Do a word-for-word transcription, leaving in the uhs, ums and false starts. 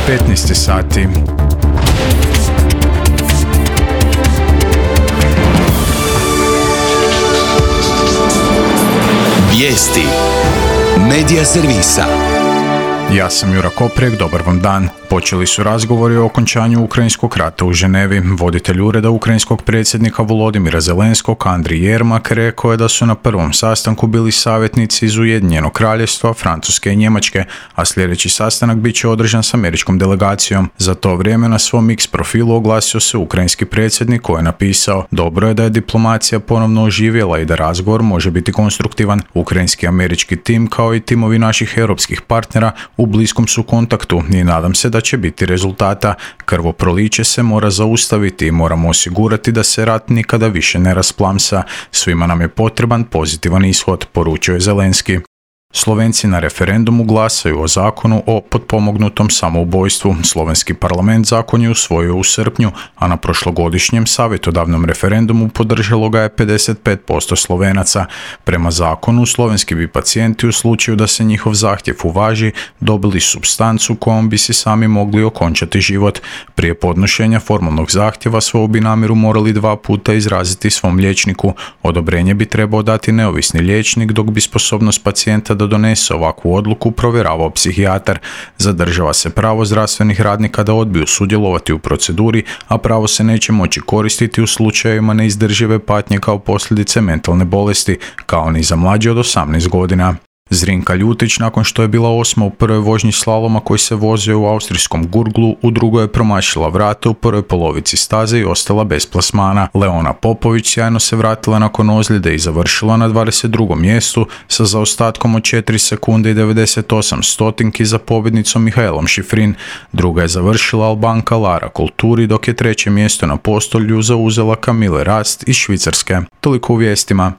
petnaest sati. Vijesti Medija servisa. Ja sam Jura Koprek, dobar vam dan. Počeli su razgovori o okončanju ukrajinskog rata u Ženevi. Voditelj ureda ukrajinskog predsjednika Volodimira Zelenskog, Andriy Yermak, rekao je da su na prvom sastanku bili savjetnici iz Ujedinjenog Kraljevstva, Francuske i Njemačke, a sljedeći sastanak bit će održan s američkom delegacijom. Za to vrijeme na svom X profilu oglasio se ukrajinski predsjednik koji je napisao: dobro je da je diplomacija ponovno oživjela i da razgovor može biti konstruktivan. Ukrajinski i američki tim kao i timovi naših europskih partnera u bliskom su kontaktu i nadam se da će biti rezultata. Krvoproliće se mora zaustaviti i moramo osigurati da se rat nikada više ne rasplamsa. Svima nam je potreban pozitivan ishod, poručio je Zelenski. Slovenci na referendumu glasaju o zakonu o potpomognutom samoubojstvu. Slovenski parlament zakon je usvojio u srpnju, a na prošlogodišnjem savjetodavnom referendumu podržalo ga je pedeset pet posto Slovenaca. Prema zakonu, slovenski bi pacijenti u slučaju da se njihov zahtjev uvaži dobili supstancu kojom bi si sami mogli okončati život. Prije podnošenja formalnog zahtjeva svoju bi namjeru morali dva puta izraziti svom liječniku. Odobrenje bi trebao dati neovisni liječnik, dok bi sposobnost pacijenta da donese ovakvu odluku provjeravao psihijatar. Zadržava se pravo zdravstvenih radnika da odbiju sudjelovati u proceduri, a pravo se neće moći koristiti u slučajevima neizdržive patnje kao posljedice mentalne bolesti, kao ni za mlađe od osamnaest godina. Zrinka Ljutić, nakon što je bila osma u prvoj vožnji slaloma koji se vozio u austrijskom Gurglu, u drugoj je promašila vrata u prvoj polovici staze i ostala bez plasmana. Leona Popović sjajno se vratila nakon ozljede i završila na dvadeset drugom mjestu sa zaostatkom od četiri sekunde i devedeset osam stotinki za pobjednicom Mihaelom Šifrin. Druga je završila Albanka Lara Kulturi, dok je treće mjesto na postolju zauzela Kamile Rast iz Švicarske. Toliko u vijestima.